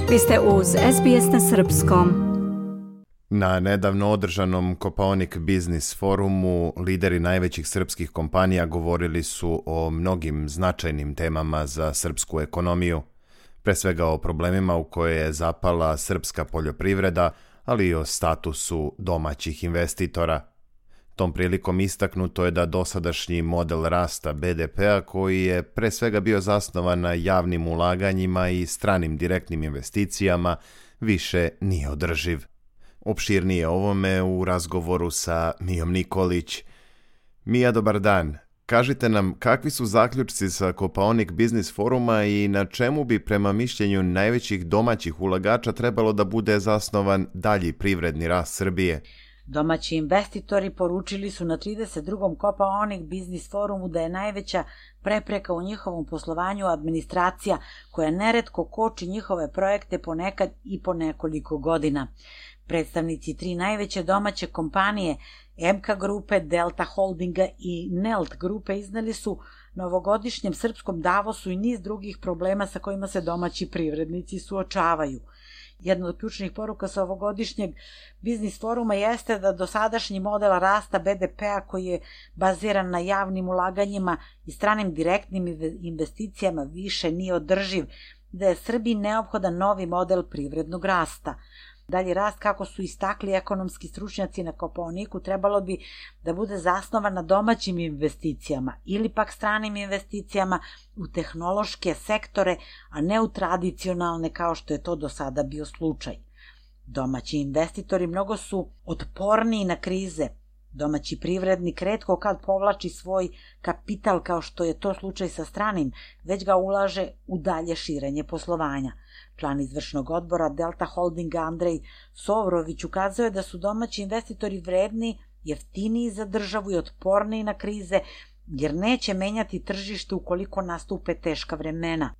Vi ste uz SBS na srpskom. Na nedavno održanom Kopaonik Biznis forumu lideri najvećih srpskih kompanija govorili su o mnogim značajnim temama za srpsku ekonomiju, pre svega o problemima u koje je zapala srpska poljoprivreda, ali i o statusu domaćih investitora. Tom prilikom istaknuto je da dosadašnji model rasta BDP-a, koji je pre svega bio zasnovan na javnim ulaganjima i stranim direktnim investicijama, više nije održiv. Opširnije ovome u razgovoru sa Mijom Nikolić. Mija, dobar dan. Kažite nam, kakvi su zaključci sa Kopaonik Biznis foruma i na čemu bi prema mišljenju najvećih domaćih ulagača trebalo da bude zasnovan dalji privredni rast Srbije? Domaći investitori poručili su na 32. Kopaonik Biznis forumu da je najveća prepreka u njihovom poslovanju administracija, koja neretko koči njihove projekte ponekad i po nekoliko godina. Predstavnici tri najveće domaće kompanije, MK grupe, Delta Holdinga i Nelt grupe, izneli su na ovogodišnjem srpskom Davosu i niz drugih problema sa kojima se domaći privrednici suočavaju. Jedna od ključnih poruka sa ovogodišnjeg biznis foruma jeste da dosadašnji model rasta BDP-a, koji je baziran na javnim ulaganjima i stranim direktnim investicijama, više nije održiv, da je Srbiji neophodan novi model privrednog rasta. Dalji rast, kako su istakli ekonomski stručnjaci na Kopaoniku, trebalo bi da bude zasnovan na domaćim investicijama ili pak stranim investicijama u tehnološke sektore, a ne u tradicionalne kao što je to do sada bio slučaj. Domaći investitori mnogo su otporniji na krize. Domaći privrednik retko kad povlači svoj kapital kao što je to slučaj sa stranim, već ga ulaže u dalje širenje poslovanja. Član izvršnog odbora Delta Holdinga Andrej Sovrović ukazuje da su domaći investitori vredni, jeftiniji za državu i otporniji na krize, jer neće menjati tržište ukoliko nastupe teška vremena.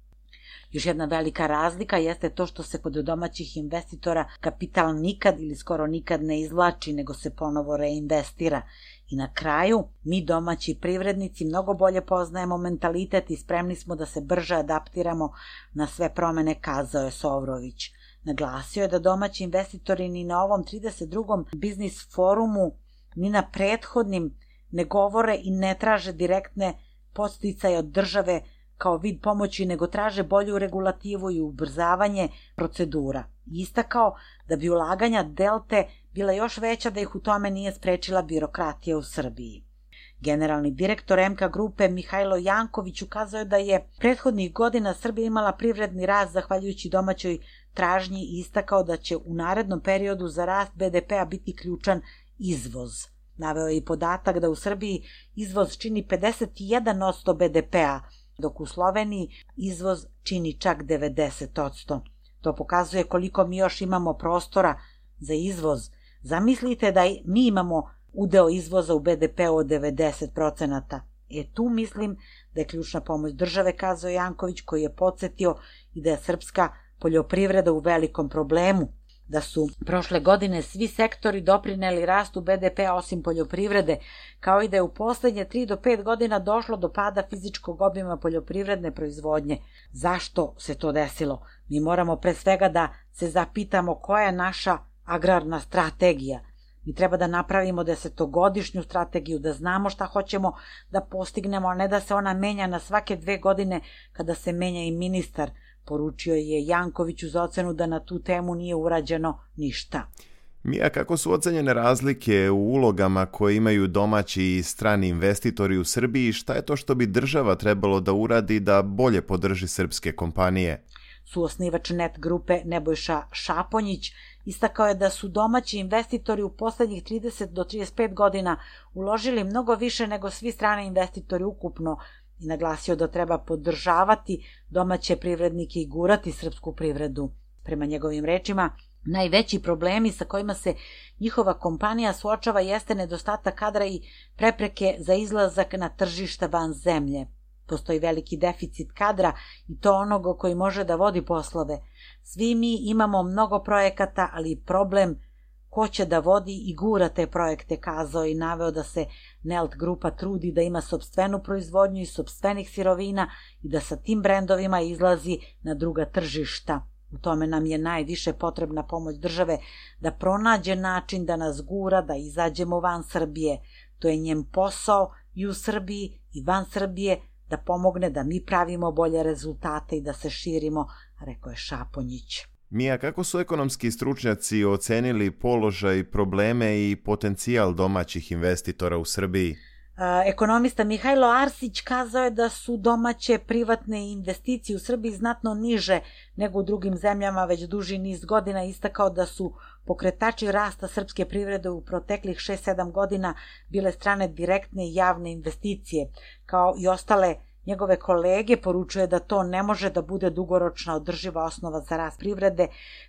Još jedna velika razlika jeste to što se kod domaćih investitora kapital nikad ili skoro nikad ne izvlači, nego se ponovo reinvestira. I na kraju, mi domaći privrednici mnogo bolje poznajemo mentalitet i spremni smo da se brže adaptiramo na sve promene, kazao je Sovrović. Naglasio je da domaći investitori ni na ovom 32. biznis forumu, ni na prethodnim ne govore i ne traže direktne podsticaje od države kao vid pomoći, nego traže bolju regulativu i ubrzavanje procedura. Istakao da bi ulaganja Delte bila još veća da ih u tome nije sprečila birokratija u Srbiji. Generalni direktor MK grupe Mihajlo Janković ukazao je da je prethodnih godina Srbija imala privredni rast zahvaljujući domaćoj tražnji i istakao da će u narednom periodu za rast BDP-a biti ključan izvoz. Naveo je i podatak da u Srbiji izvoz čini 51% BDP-a, dok u Sloveniji izvoz čini čak 90%. To pokazuje koliko mi još imamo prostora za izvoz. Zamislite da mi imamo udeo izvoza u BDP-u od 90%. Tu mislim da je ključna pomoć države, kazao Janković, koji je podsjetio i da je srpska poljoprivreda u velikom problemu, da su prošle godine svi sektori doprineli rastu BDP-a osim poljoprivrede, kao i da je u poslednje 3 do 5 godina došlo do pada fizičkog obima poljoprivredne proizvodnje. Zašto se to desilo? Mi moramo pre svega da se zapitamo koja je naša agrarna strategija. Mi treba da napravimo 10-godišnju strategiju, da znamo šta hoćemo da postignemo, a ne da se ona menja na svake 2 godine kada se menja i ministar. Poručio je Janković uz ocenu da na tu temu nije urađeno ništa. Mija, kako su ocenjene razlike u ulogama koje imaju domaći i strani investitori u Srbiji i šta je to što bi država trebalo da uradi da bolje podrži srpske kompanije? Suosnivač Net grupe Nebojša Šaponjić istakao je da su domaći investitori u poslednjih 30 do 35 godina uložili mnogo više nego svi strani investitori ukupno i naglasio da treba podržavati domaće privrednike i gurati srpsku privredu. Prema njegovim rečima, najveći problemi sa kojima se njihova kompanija suočava jeste nedostatak kadra i prepreke za izlazak na tržišta van zemlje. Postoji veliki deficit kadra i to onoga koji može da vodi poslove. Svi mi imamo mnogo projekata, ali problem ko će da vodi i gura te projekte, kazao i naveo da se Nelt grupa trudi da ima sopstvenu proizvodnju i sopstvenih sirovina i da sa tim brendovima izlazi na druga tržišta. U tome nam je najviše potrebna pomoć države da pronađe način da nas gura, da izađemo van Srbije. To je njen posao i u Srbiji i van Srbije, da pomogne da mi pravimo bolje rezultate i da se širimo, rekao je Šaponjić. Mija, kako su ekonomski stručnjaci ocenili položaj, probleme i potencijal domaćih investitora u Srbiji? Ekonomista Mihajlo Arsić kazao je da su domaće privatne investicije u Srbiji znatno niže nego u drugim zemljama već duži niz godina. Istakao da su pokretači rasta srpske privrede u proteklih 6-7 godina bile strane direktne i javne investicije. Kao i ostale njegove kolege, poručuje da to ne može da bude dugoročna održiva osnova za rast privrede,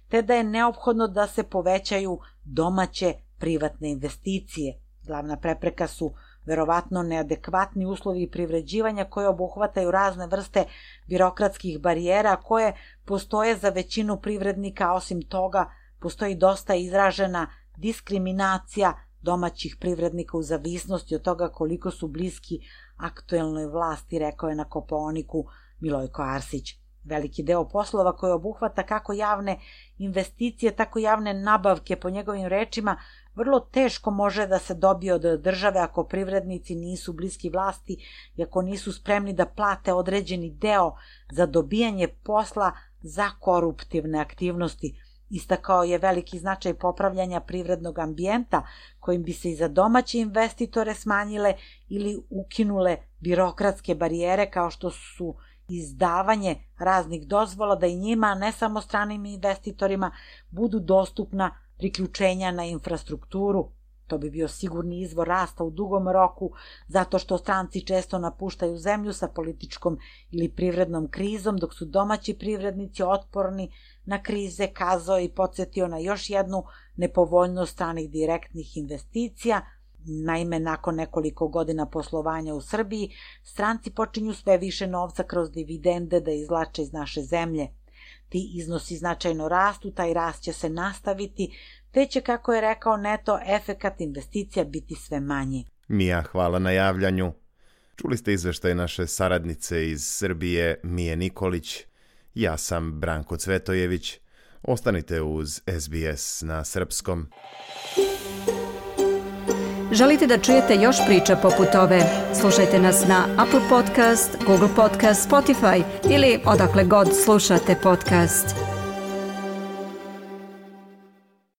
te da je neophodno da se povećaju domaće privatne investicije. Glavna prepreka su verovatno neadekvatni uslovi privređivanja koje obuhvataju razne vrste birokratskih barijera koje postoje za većinu privrednika, a osim toga postoji dosta izražena diskriminacija domaćih privrednika u zavisnosti od toga koliko su bliski aktuelnoj vlasti, rekao je na Kopaoniku Milojko Arsić. Veliki deo poslova koji obuhvata kako javne investicije, tako javne nabavke, po njegovim rečima, vrlo teško može da se dobije od države ako privrednici nisu bliski vlasti i ako nisu spremni da plate određeni deo za dobijanje posla za koruptivne aktivnosti. Istakao je veliki značaj popravljanja privrednog ambijenta kojim bi se i za domaće investitore smanjile ili ukinule birokratske barijere kao što su izdavanje raznih dozvola, da i njima, ne samo stranim investitorima, budu dostupna priključenja na infrastrukturu. To bi bio sigurni izvor rasta u dugom roku, zato što stranci često napuštaju zemlju sa političkom ili privrednom krizom, dok su domaći privrednici otporni na krize, kazao i podsjetio na još jednu nepovoljnost stranih direktnih investicija. Naime, nakon nekoliko godina poslovanja u Srbiji, stranci počinju sve više novca kroz dividende da izvlače iz naše zemlje. Ti iznosi značajno rastu, taj rast će se nastaviti, te će, kako je rekao, neto efekat investicija biti sve manji. Mija, hvala na javljanju. Čuli ste izveštaj naše saradnice iz Srbije, Mije Nikolić. Ja sam Branko Cvetojević. Ostanite uz SBS na srpskom. Želite da čujete još priča poput ove? Slušajte nas na Apple Podcast, Google Podcast, Spotify ili odakle god slušate podcast.